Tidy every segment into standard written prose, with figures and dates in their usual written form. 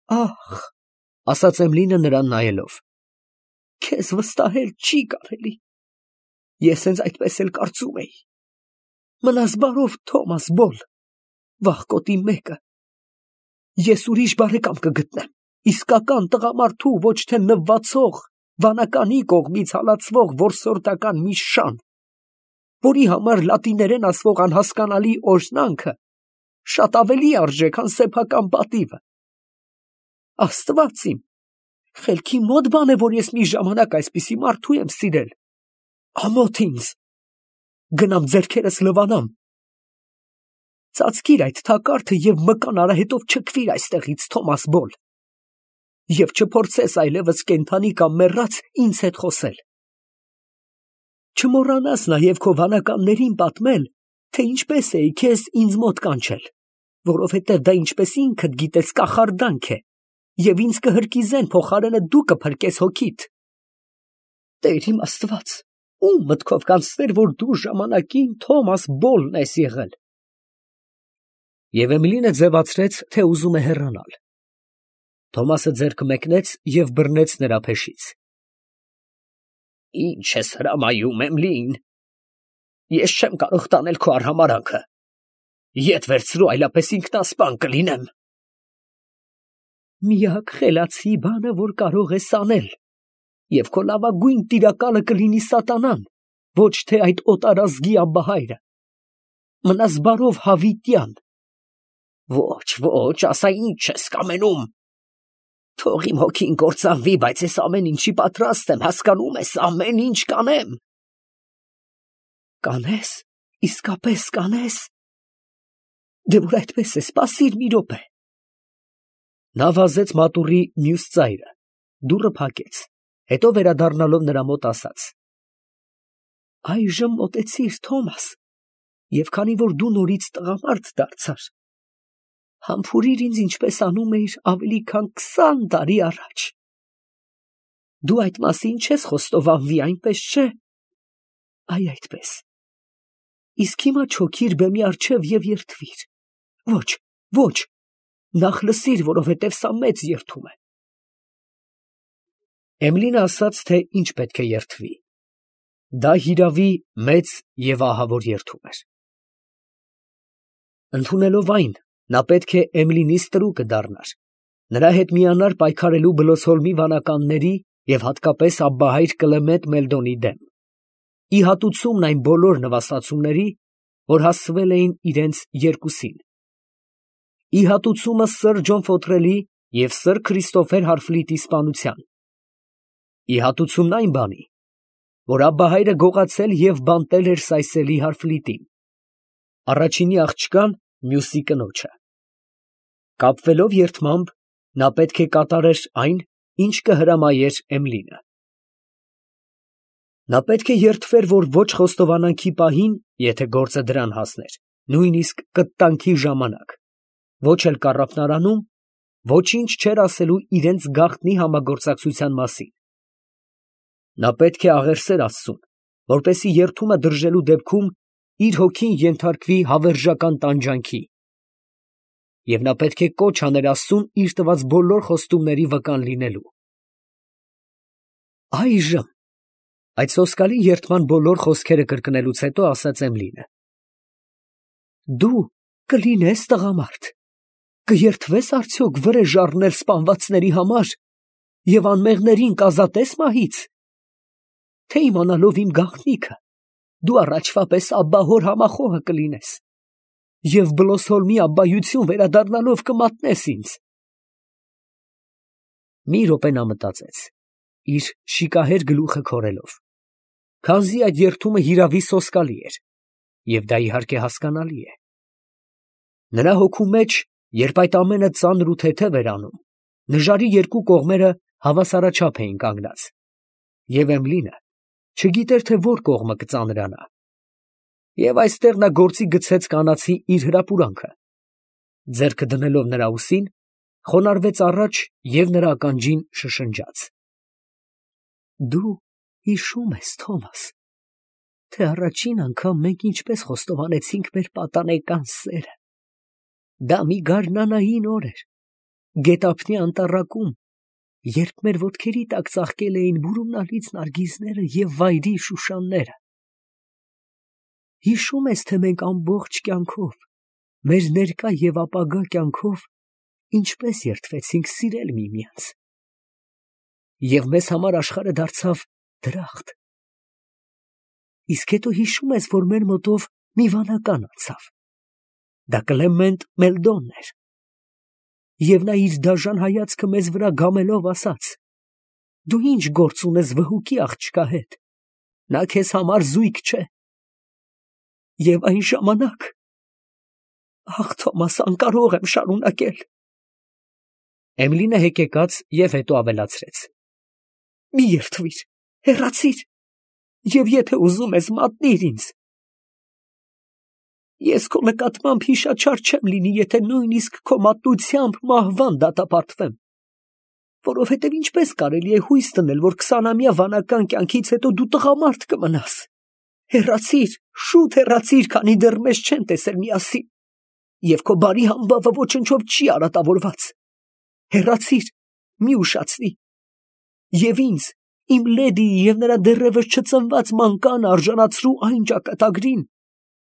Ախ, ասաց Էմլինը նրան նայելով, քեզ վստահել չի կարելի, ես հենց այդպես էլ կարծում էի, մնաս բարով Թոմաս Բոլ, վախկոտի մեկը, ես ուրիշ բարեկամ կգտնեմ, իսկական տղամարդու, ոչ թե նվվածող, վանականի կողմից հալածվող որսորդական մի շան, որի համար լատիներեն ասվող անհասկանալի օրհնանքը շատ ավելի արժե, քան սեփական պատիվը։ Աստված իմ, խելքի մոտ բան է, որ ես մի ժամանակ այսպիսի մարդու եմ սիրել, ամոթ ինձ, գնամ ձեռքերս լվանամ, ծածկիր այդ թակարդը և մկան արահետով չքվիր այստեղից, Թոմաս Բոլ, և չփորձես այլևս կենդանի կամ մեռած ինձ հետ խոսել։ Չմոռանաս նաև քո վանականներին պատմել, թե ինչպես էի քեզ ինձ մոտ կանչել, որովհետև դա ինչպես ինքդ գիտես կախարդանք է, և ինձ կհրկիզեն, փոխարենը դու կփրկես հոգիդ։ Տեր իմ Աստված, ում մտքով կանցներ, որ դու ժամանակին Թոմաս Բոլն ես եղել։ Եվ Էմիլինը ձևացրեց, թե ուզում է հեռանալ։ Թոմասը ձեռքը մեկնեց և բռնեց նրա փեշից։ Ինչ ես հրամայում, Էմլին, ես չեմ կարող տանել քո արհամարհանքը, ետ վերցրու, այլապես ինքնասպան կլինեմ։ Միակ խելացի բանը, որ կարող ես անել, և քո լավագույն տիրակալը կլինի սատանան, ոչ թե այդ օտարազգի ամբահայրը։ Մնաս բարով հավիտյան։ Ոչ, ոչ, ասա ինչ ես կամենում։ Թող իմ հոգին կործանվի, բայց ես ամեն ինչի պատրաստ եմ, հասկանում ես, ամեն ինչ կանեմ։ Կանես, իսկապես կանես։ Դե որ այդպես է, սպասիր մի րոպե։ Նա վազեց մատուռի մյուս ծայրը, դուռը փակեց, հետո վերադառնալով նրա մոտ ասաց. Այժմ մոտեցիր, Թոմաս, և քանի որ դու նորից տղամարդ դարձար, համբուրիր ինձ, ինչպես անում էիր ավելի քան 20 տարի առաջ։ Դու այդ մասին չես խոստովանվի, այնպես չէ։ Այ այդպես։ Իսկ հիմա չոքիր բեմի առջև և երդվիր։ Ոչ, ոչ, նախ լսիր, որովհետև սա մեծ երդում է։ Էմլինը ասաց, թե ինչ պետք է երդվի։ Դա հիրավի մեծ և ահավոր երդում էր։ Ընդունելով այն, նա պետք է Էմլինի ստրուկը դառնար, նրա հետ միանար պայքարելու Բլոսհոլմի վանականների և հատկապես աբբահայր Կլեմենտ Մելդոնի դեմ, ի հատուցումն այն բոլոր նվաստացումների, որ հասցվել էին իրենց երկուսին, ի հատուցումը սըր Ջոն Ֆոթրելի և սըր Քրիստոֆեր Հարֆլիտի սպանության, ի հատուցումն այն բանի, որ աբբահայրը գողացել և բանտել էր Սայսելի Հարֆլիտին, առաջինի աղջկան, մյուսի կնոջը։ Կապվելով երդմամբ, նա պետք է կատարեր այն, ինչ կհրամայեր Էմլինը։ Նա պետք է երդվեր, որ ոչ խոստովանանքի պահին, եթե գործը դրան հասներ, նույնիսկ կտանքի ժամանակ, ոչ էլ կառափնարանում, ոչինչ չէր ասելու իրենց գաղտնի համագործակցության մասին։ Նա պետք է աղերսեր Աստծուն, որպեսզի երդումը դրժելու դեպքում իր հոգին ենթարկվի հավերժական տանջանքի, և նա պետք է կոչ աներ Աստծուն իր տված բոլոր խոստումների վկան լինելու։ Այժմ, այդ սոսկալի երդման բոլոր խոսքերը կրկնելուց հետո, ասաց Էմլինը. դու կլինես տղամարդ, կերդվես արդյոք վրեժ առնել սպանվածների համար և անմեղներին կազատես մահից, թե իմանալով իմ գաղտնիքը, դու առաջվա պես աբբահոր համախոհը կլինես և Բլոսհոլմի աբբայություն վերադառնալով կմատնես ինձ։ Մի րոպե նա մտածեց, իր շիկահեր գլուխը քորելով, քանզի այդ երդումը հիրավի սոսկալի էր, և դա իհարկե հասկանալի է։ Նրա հոգու մեջ, երբ այդ ամենը ծանր ու թեթև էր անում, նժարի երկու կողմերը հավասարաչափ էին կանգնած, և Էմլինը չգիտեր, թե որ կողմը կծանրանա։ Եվ այստեղ նա գործի գցեց կանացի իր հրապուրանքը, ձեռքը դնելով նրա ուսին, խոնարհվեց առաջ և նրա ականջին շշնջաց. Դու հիշո՞ւմ ես, Թոմաս, թե առաջին անգամ մենք ինչպես խոստովանեցինք մեր պատանեկան սերը։ Դա մի գարնանային օր էր, Գետափնի անտառակում, երբ մեր ոտքերի տակ ծաղկել էին բուրումնալից նարգիզները և վայրի շուշանները։ Հիշո՞ւմ ես, թե մենք ամբողջ կյանքով, մեր ներկա և ապագա կյանքով ինչպես երդվեցինք սիրել միմյանց։ Եվ մեզ համար աշխարհը դարձավ դրախտ։ Իսկ հետո հիշո՞ւմ ես, որ մեր մոտով մի վանական անցավ։ Դա Կլեմենտ Մելդոնն էր։ Եվ նա իր դաժան հայացքը մեզ վրա գամելով ասաց. «Դու ի՞նչ գործ ունես վհուկի աղջկա հետ, նա քեզ համար զույգ չէ»։ Եվ այն ժամանակ… Ախ, Թոմաս, անկարող եմ շարունակել։ Էմիլին հեկեկաց և հետո ավելացրեց. «Մի երդվիր, հեռացիր, և եթե ուզում ես, մատնիր ինձ։ Ես քո նկատմամբ հիշաչար չեմ լինի, եթե նույնիսկ քո մատնությամբ մահվան դատապարտվեմ, որովհետև ինչպես կարելի է հույս դնել, որ 20-ամյա վանական կյանքից հետո դու տղամարդ կմնաս։ Հեռացիր, շուտ հեռացիր, քանի դեռ մեզ չեն տեսել միասին, և քո բարի համբավը ոչնչով չի արատավորված։ Հեռացիր, մի ուշացնի, և ինձ, իմ լեդիի և նրա դեռևս չծնված մանկանը արժանացրու այն ճակատագրին,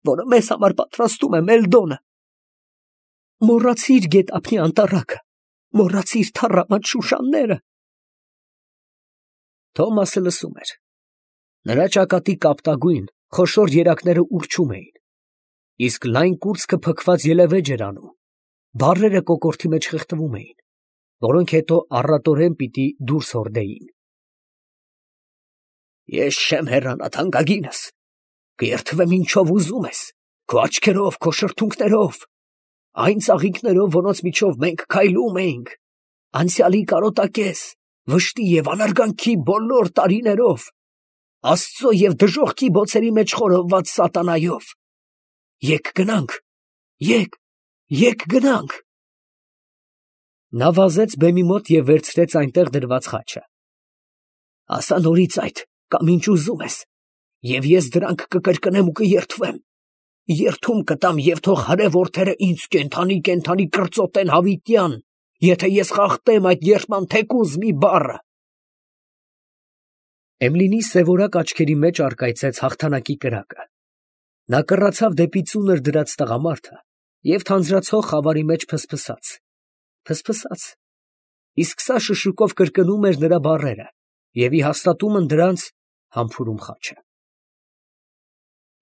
որը մեզ համար պատրաստում է Մելդոնը։ Մոռացիր գետափնի անտառակը, մոռացիր թառամած շուշանները»։ Թոմասը լսում էր։ Նրա ճակատի կապտագույն, խոշոր երակները ուռչում էին, իսկ լայն կուրծքը փքված ելևէջ էր անում, բառերը կոկորդի մեջ խեղդվում էին, որոնք հետո առատորեն պիտի դուրս հորդեին։ «Ես չեմ հեռանա, թանկագինս, կերդվեմ ինչով ուզում ես, քո աչքերով, քո շրթունքներով, այն ծաղիկներով, որոնց միջով մենք քայլում էինք, անցյալի կարոտակեզ, վշտի և անարգանքի բոլոր տարիներով, Աստծո և դժոխքի բոցերի մեջ խորովված սատանայով։ Եկ գնանք, եկ գնանք»։ Նա վազեց բեմի մոտ և վերցրեց այնտեղ դրված խաչը։ «Ասա նորից այդ, կամ ինչ ուզում ես, և ես դրանք կկրկնեմ ու կերդվեմ, երդում կտամ, և թող հրե որդերը ինձ կենդանի կրծոտեն հավիտյան, եթե ես խախտեմ այդ երդման թեկուզ մի բառը»։ Էմիլիի սևորակ աչքերի մեջ առկայծեց հաղթանակի կրակը։ Նա կռացավ դեպի ծունր դրած տղամարդը և թանձրացող խավարի մեջ ֆսֆսաց, իսկ սա շշուկով կրկնում էր նրա բառերը և ի հաստատումն դրանց համբուրում խաչը։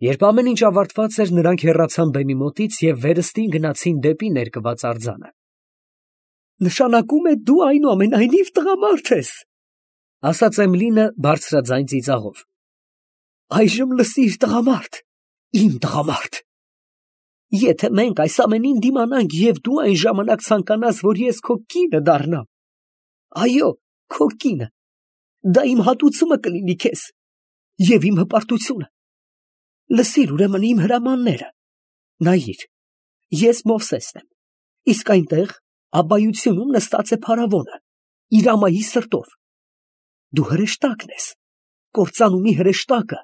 Երբ ամեն ինչ ավարտված էր, նրանք հեռացան բեմի մոտից և վերստին գնացին դեպի ներկված արձանը։ «Նշանակում է, դու այնուամենայնիվ տղամարդ ես, ֊ ասաց Էմիլին բարձրաձայն ծիծաղով։ ֊ Այժմ լսիր, տղամարդ, իմ տղամարդ, եթե մենք այս ամենին դիմանանք և դու այն ժամանակ ցանկանաս, որ ես քո կինը դառնամ, այո, քո կինը, դա իմ հատուցումը կլինի քեզ և իմ հպարտությունը։ Լսիր ուրեմն իմ հրամանները. նայիր, ես Մովսեսն եմ, իսկ այնտեղ աբբայությունում նստած է փարավոնը, իր ամայի սրտով։ Դու հրեշտակն ես, կործանումի հրեշտակը,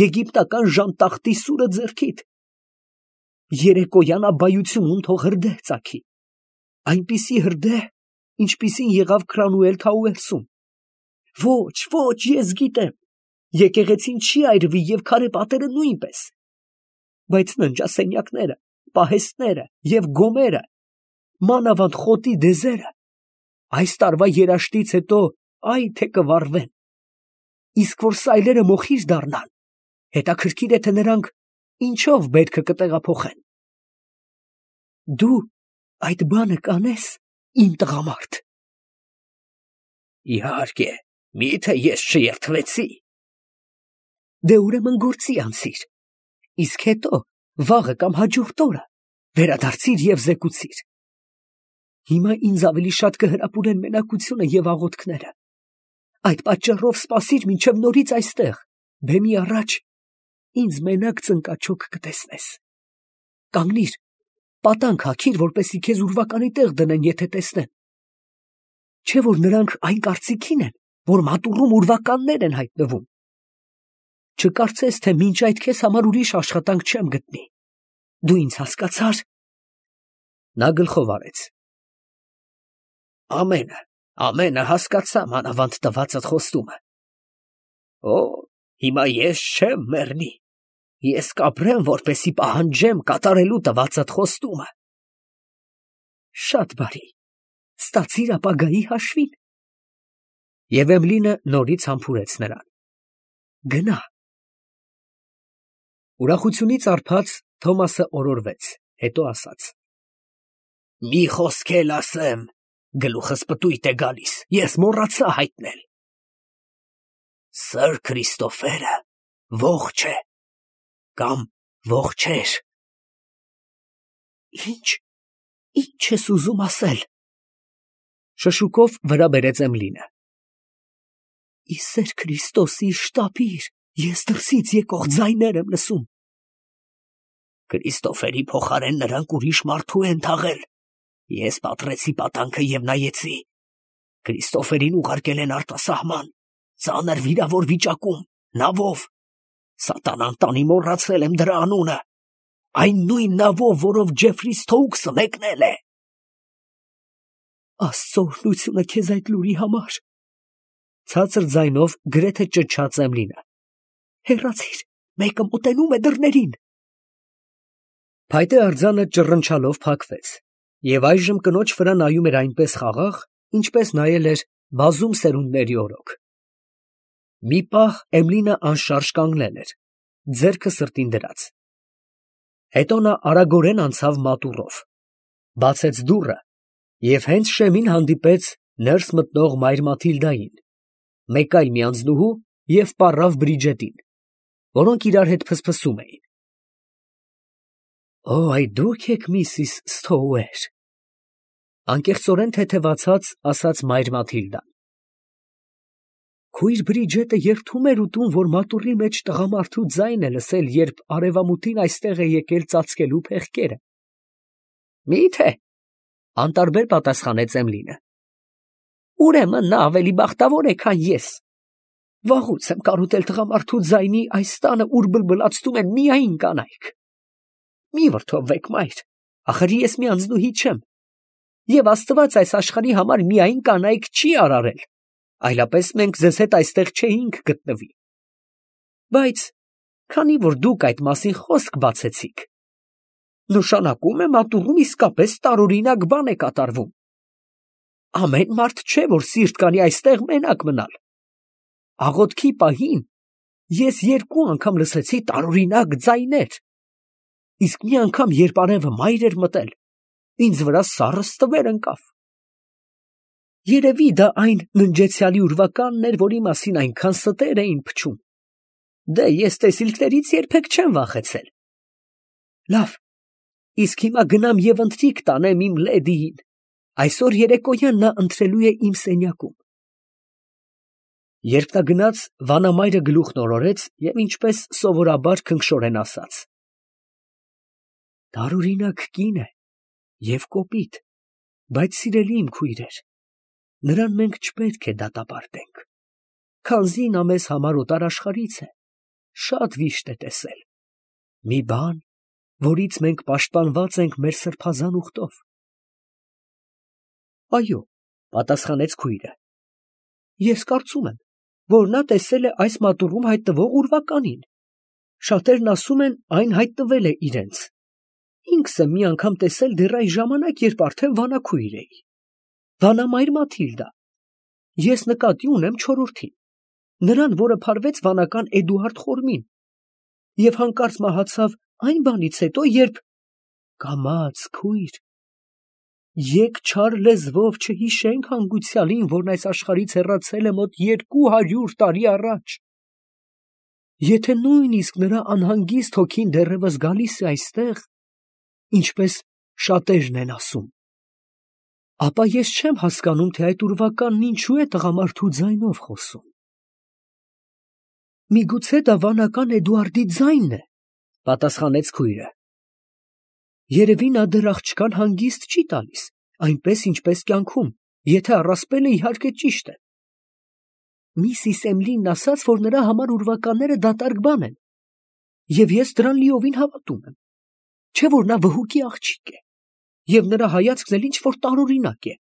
եգիպտական ժանտախտի սուրը ձեռքիդ։ Երեկոյան աբբայությունում թող հրդեհ ծագի, այնպիսի հրդեհ, ինչպիսին եղավ Քրանուել Քաուելսում։ Ոչ, ես գիտեմ, եկեղեցին չի այրվի և քարե պատերը նույնպես, բայց ննջասենյակները, պահեստները և գոմերը, մանավանդ խոտի դեզերը, այս տարվա երաշտից հետո այ թե կվառվեն, իսկ որ սայլերը մոխիր դառնան, հետաքրքիր է, թե նրանք ինչով բերքը կտեղափոխեն։ Դու այդ բանը կանես, իմ տղամարդ։ Իհարկե, միթե ես չերդվեցի։ Դե ուրեմն գործի անցիր, իսկ հետո վաղը կամ հաջորդ օրը վերադարձիր և զեկուցիր։ Հիմա ինձ ավելի շատ կհրապուրեն մենակությունը և աղոթքները։ Այդ պատճառով սպասիր մինչև նորից այստեղ, բեմի առաջ, ինձ մենակ ծնկաչոք կտեսնես։ Կանգնիր, պատանք հագիր, որպեսզի քեզ ուրվականի տեղ դնեն, եթե տեսնեն։ Չէ՞ որ նրանք այն կարծիքին են, որ մատուռում ուրվականներ են հայտնվում։ Չկարծես, թե մինչ այդ քեզ համար ուրիշ աշխատանք չեմ գտնի։ Դու ինձ հասկացա՞ր։ Նա գլխով արեց։ Ամենը հասկացա մանավանդ տվածդ խոստումը։ Օ, հիմա ես չեմ մեռնի, ես կապրեմ, որպեսի պահանջեմ կատարելու տվածդ խոստումը։ Շատ բարի, ստացիր ապագայի հաշվին։ Եվ Էմլինը նորից համբուրեց նրան։ Գնա։ Ուրախությունից արբած Թոմասը օրորվեց, հետո ասաց. Մի խոսք էլ ասեմ, գլուխս պտույտ է գալիս, ես մոռացա հայտնել։ Սըր Քրիստոֆերը ողջ է, կամ ողջ էր։ Ինչ ես ուզում ասել։ Շշուկով վրա բերեց Էմլինը։ Ի սեր Քրիստոսի շտապիր, ես դրսից եկող ձայներ եմ լսում։ Քրիստոֆերի փոխարեն նրանք ուրիշ մարդու են թաղել։ Ես պատռեցի պատանքը եւ նայեցի։ Քրիստոֆերին ուղարկել են արտասահման, ծանր վիրավոր վիճակում, նավով։ Սատանան տանի մոռացել եմ դրա անունը։ Այն նույն նավով, որով Ջեֆրի Սթոուքսը մեկնել է։ Աստծո օրհնությունը քեզ այդ լուրի համար։ Ցածր ձայնով գրեթե ճչաց Էմլինը։ Հեռացիր, մեկը մոտենում է դռներին։ Փայտե արձանը ճռնչալով փակվեց, եւ այժմ կնոջ վրա նայում էր այնպես խաղաղ, ինչպես նայել էր բազում սերունդների օրոք։ Մի պահ Էմլինը անշարժ կանգնել էր, ձեռքը սրտին դրած։ Հետո նա արագորեն անցավ մատուռով, բացեց դուռը եւ հենց շեմին հանդիպեց ներս մտնող մայր Մաթիլդային, մեկ այլ մի անձնուհու եւ պառավ Բրիջետին, որոնք իրար հետ փսփսում էին։ Օ, այդ դուք եք Միսիս Սթոուեր, անկեղծորեն թեթևացած ասաց մայր Մաթիլդան։ Քույր Բրիջետը երդում էր ուտում, որ մատուռի մեջ տղամարդու ձայն է լսել, երբ արևամուտին այստեղ է եկել ծածկելու փեղկերը։ Մի՞թե, անտարբեր պատասխանեց Էմլինը։ Ուրեմն նա ավելի բախտավոր է, քան ես։ Վաղուց եմ կարոտել տղամարդու ձայնի այս տանը, ուր բլբլացնում են միայն կանայք։ Մի վրդովվեք, մայր, ախր ես մի անձնուհի չեմ, եւ Աստված այս աշխարհի համար միայն կանայք չի արարել, այլապես մենք ձեզ հետ այստեղ չէինք գտնվի։ Բայց քանի որ դուք այդ մասին խոսք բացեցիք, նշանակում է մատուռում իսկապես տարօրինակ բան է կատարվում։ Ամեն մարդ չէ, որ սիրտ կանի այստեղ մենակ մնալ։ Աղոթքի պահին ես 2 անգամ լսեցի տարօրինակ ձայներ, իսկ մի անգամ, երբ արևը մայր էր մտել, ինձ վրա սառը ստվեր ընկավ։ Երևի դա այն ննջեցյալի ուրվականն էր, որի մասին այնքան ստեր էին փչում։ Դե ես տեսիլքներից երբեք չեմ վախեցել։ Լավ, իսկ հիմա գնամ եւ ընթրիք տանեմ իմ լեդիին։ Այսօր երեկոյան նա ընթրելու է իմ սենյակում։ Երբ նա գնաց, վանամայրը գլուխն օրորեց եւ ինչպես սովորաբար քնքշորեն ասաց. Տարօրինակ կին է եւ կոպիտ, բայց սիրելի իմ քույրեր, նրան մենք չպետք է դատապարտենք, քանզի նա մեզ համար օտար աշխարհից է, շատ վիշտ է տեսել, մի բան, որից մենք պաշտպանված ենք մեր սրբազան ուխտով։ Այո, պատասխանեց քույրը, ես կարծում եմ, որ նա տեսել է այս մատուռում հայտնվող ուրվականին, շատերն ասում են, այն հայտնվել է իրենց։ Ինքս եմ մի անգամ տեսել դեռ այն ժամանակ, երբ արդեն վանաքույր էի։ Վանամայր Մաթիլդա, ես նկատի ունեմ չորրորդին, նրան, որը փարվեց վանական Էդուարդ Խորմին, եւ հանկարծ մահացավ այն բանից հետո, երբ… Կամաց, քույր, եկ չար լեզվով չհիշենք հանգուցյալին, որն այս աշխարհից հեռացել է մոտ 200 տարի առաջ։ Եթե նույնիսկ նրա անհանգիստ հոգին դեռևս գալիս է այստեղ, ինչպես շատերն են ասում, ապա ես չեմ հասկանում, թե այդ ուրվականն ինչու է տղամարդու ձայնով խոսում։ Միգուցե դա վանական Էդուարդի ձայնն է, պատասխանեց քույրը։ Երևի նա դեռ աղջկան հանգիստ չի տալիս, այնպես ինչպես կյանքում, եթե առասպելը իհարկե ճիշտ է։ Միսիս Էմլինն ասաց, որ նրա համար ուրվականները դատարկ բան են, եւ ես դրան լիովին հավատում եմ։ Չէ՞ որ նա վհուկի աղջիկ է, եւ նրա հայացքն էլ ինչ որ տարօրինակ է։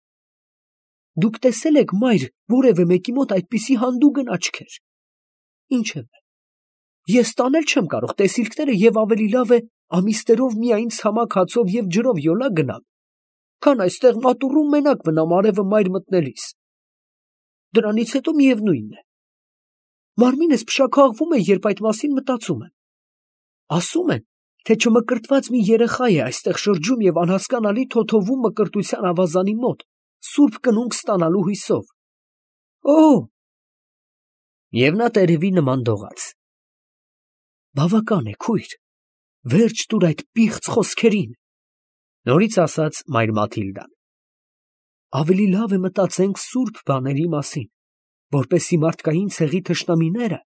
Դուք տեսել եք, մայր, որևէ մեկի մոտ այդպիսի հանդուգն աչքեր։ Ինչևէ, ես տանել չեմ կարող տեսիլքները և ավելի լավ է ամիսներով միայն ցամաք հացով և ջրով յոլա գնամ, քան այստեղ մատուռում մենակ մնամ արևը մայր մտնելիս։ Դրանից հետո միևնույն է, մարմինս փշաքաղվում է, երբ այդ մասին մտածում եմ։ Ասում են, թե չմկրտված մի երեխա է այստեղ շրջում և անհասկանալի թոթովում մկրտության ավազանի մոտ, սուրբ կնունք ստանալու հույսով։ Օ՜։ Եվ նա տերևի նման դողաց։ Բավական է, քույր, վերջ տուր այդ պիղծ խոսքերին, նորից ասաց մայր Մաթիլդան։ Ավելի լավ է մտածենք սուրբ բաների մասին, որպեսզի մարդկային ցեղի թշնամիները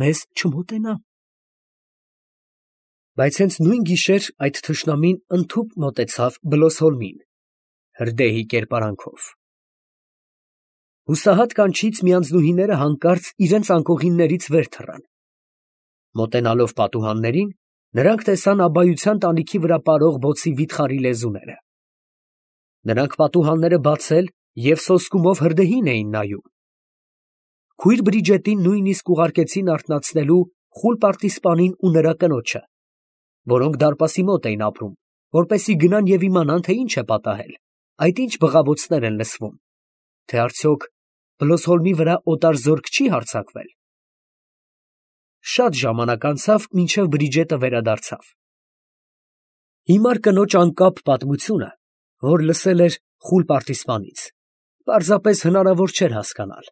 մեզ չմոտենան։ Բայց հենց նույն գիշեր այդ թշնամին ընդհուպ մոտեցավ Բլոսհոլմին, հրդեհի կերպարանքով։ Հուսահատ կանչից միանձնուհիները հանկարծ իրենց անկողիններից վեր թռան։ Մոտենալով պատուհաններին, նրանք տեսան աբայության տանիքի վրա պարող բոցի վիթխարի լեզուները։ Նրանք պատուհանները բացել և սոսկումով հրդեհին էին նայում։ Քույր Բրիջետին նույնիսկ ուղարկեցին արթնացնելու խուլ պարտիզպանին ու նրա կնոջը, որոնք դարպասի մոտ էին ապրում, որպեսզի գնան և իմանան, թե ինչ է պատահել, այդ ինչ բղավոցներ են լսվում, թե արդյոք Բլոսհոլմի վրա օտար զորք չի հարձակվել։ Շատ ժամանակ անցավ, մինչև Բրիջետը վերադարձավ։ Հիմար կնոջ անկապ պատմությունը, որ լսել էր խուլ պարտիզպանից, պարզապես հնարավոր չէր հասկանալ։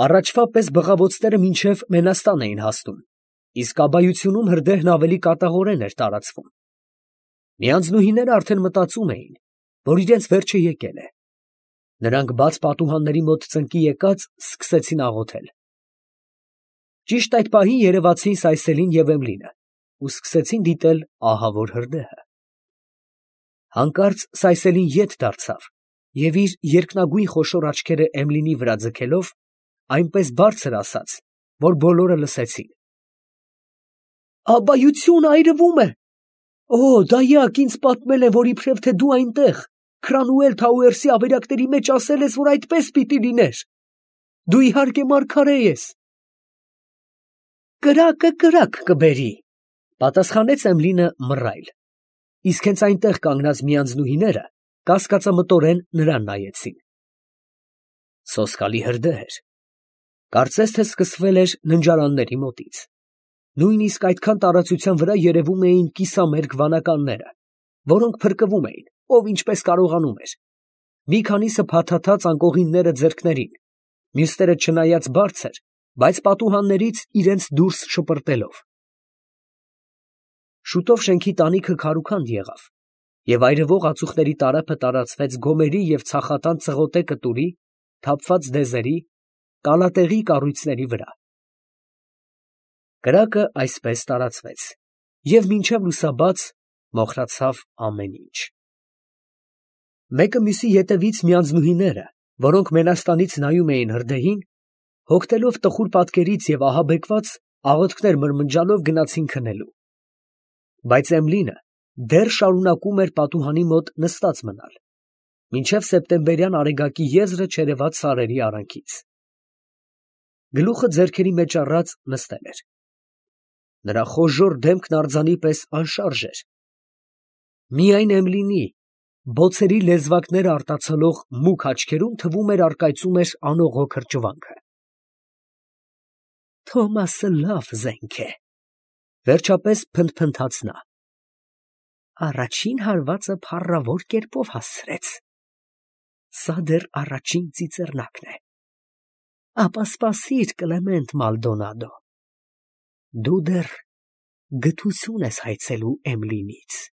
Առաջվա պես բղավոցները մինչև Մենաստան էին հասնում, իսկ աբայությունում հրդեհն ավելի կատաղորեն էր տարածվում։ Միանձնուհիները արդեն մտածում էին, որ իրենց վերջը եկել է։ Նրանք բաց պատուհանների մոտ ծնկի եկած սկսեցին աղոթել։ Ճիշտ այդ պահին երևացին Սայսելին և Էմլինը ու սկսեցին դիտել ահավոր հրդեհը։ Հանկարծ Սայսելին ետ դարձավ և իր երկնագույն խոշոր աչքերը Էմլինի վրա ձգելով, այնպես բարձր ասաց, որ բոլորը լսեցին. Աբայություն այրվում է։ Օ, դայակ, ինձ պատմել են, որ իբրև թե դու այնտեղ, Քրանուել Թաուերսի ավերակների մեջ ասել ես, որ այդպես պիտի լիներ։ Դու իհարկե մարգարե ես։ Կրակը կրակ կբերի, պատասխանեց Էմլինը մռայլ, իսկ հենց այնտեղ կանգնած միանձնուհիները կասկածամտորեն նրան նայեցին։ Սոսկալի հրդեհ էր։ Կարծես թե սկսվել էր ննջարանների մոտից։ Նույնիսկ այդքան տարածության վրա երևում էին կիսամերկ վանականները, որոնք փրկվում էին, ով ինչպես կարողանում էր։ Մի քանիսը փաթաթած անկողինները ձեռքներին, մյուսները չնայած բարձր, բայց պատուհաններից իրենց դուրս շպրտելով։ Շուտով շենքի տանիքը քարուքանդ եղավ, և այրվող ածուխների տարափը տարածվեց գոմերի և ցախատան ծղոտե կտուրի, թափված դեզերի, կալատեղի կառույցների վրա։ Կրակը այսպես տարածվեց, և մինչև լուսաբաց մոխրացավ ամեն ինչ։ Մեկը մյուսի ետևից միանձնուհիները, որոնք Մենաստանից նայում էին հրդեհին, հոգնելով տխուր պատկերից և ահաբեկված, աղոթքներ մրմնջալով գնացին քնելու։ Բայց Էմլինը դեռ շարունակում էր պատուհանի մոտ նստած մնալ, մինչև սեպտեմբերյան արեգակի եզրը չերևաց սարերի արանքից։ Գլուխը ձեռքերի մեջ առած նստել էր։ Նրա խոժոռ դեմքն արձանի պես անշարժ էր։ Միայն Էմլինի բոցերի լեզվակները արտացոլող մուգ աչքերում թվում էր առկայծում էր անողոք հրճվանքը։ Թոմասը լավ զենք է, վերջապես փնթփնթաց նա։ Առաջին հարվածը փառավոր կերպով հասցրեց։ Սա դեռ առաջին ծիծեռնակն է։ Ապա սպասիր, Կլեմենտ Մալդոնադո, դու դեռ գթություն ես հայցելու Էմլինից։